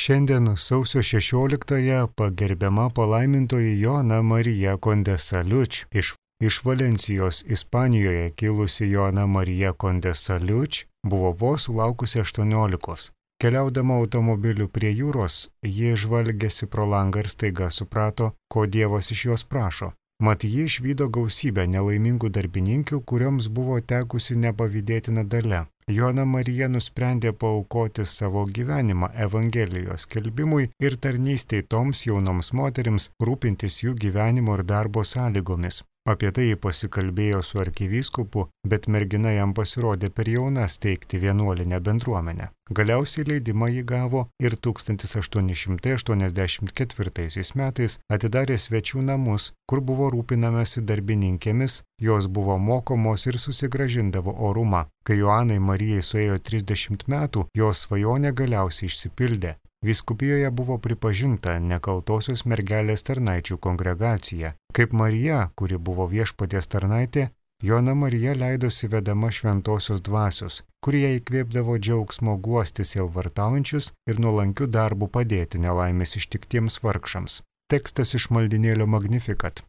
Šiandien sausio 16-ąją pagerbiama palaimintoji Joana Marija Condesa Liuč. Iš Valencijos, Ispanijoje kilusi Joana Marija Condesa Liuč buvo vos sulaukusi 18. Keliaudama automobiliu prie jūros, ji žvalgėsi pro langą ir staiga suprato, ko Dievas iš jos prašo. Mat ji išvydo gausybę nelaimingų darbininkių, kurioms buvo tekusi nepavydėtina dalia. Joana Marija nusprendė paaukoti savo gyvenimą Evangelijos skelbimui ir tarnystei toms jaunoms moterims, rūpintis jų gyvenimo ir darbo sąlygomis. Apie tai ji pasikalbėjo su arkivyskupu, bet mergina jam pasirodė per jauna steigti vienuolinę bendruomenę. Galiausiai leidimą ji gavo ir 1884 metais atidarė svečių namus, kur buvo rūpinamasi darbininkėmis, jos buvo mokomos ir susigrąžindavo orumą. Kai Joanai Marijai suėjo 30 metų, jos svajonė galiausiai išsipildė. Vyskupijoje buvo pripažinta nekaltosios mergelės tarnaičių kongregacija. Kaip Marija, kuri buvo viešpaties tarnaitė, Joana Marija leidosi vedama šventosios dvasios, kurie įkvėpdavo džiaugsmo guosti sielvartaujančius ir nuolankių darbų padėti nelaimės ištiktiems vargšams. Tekstas iš maldinėlio Magnificat.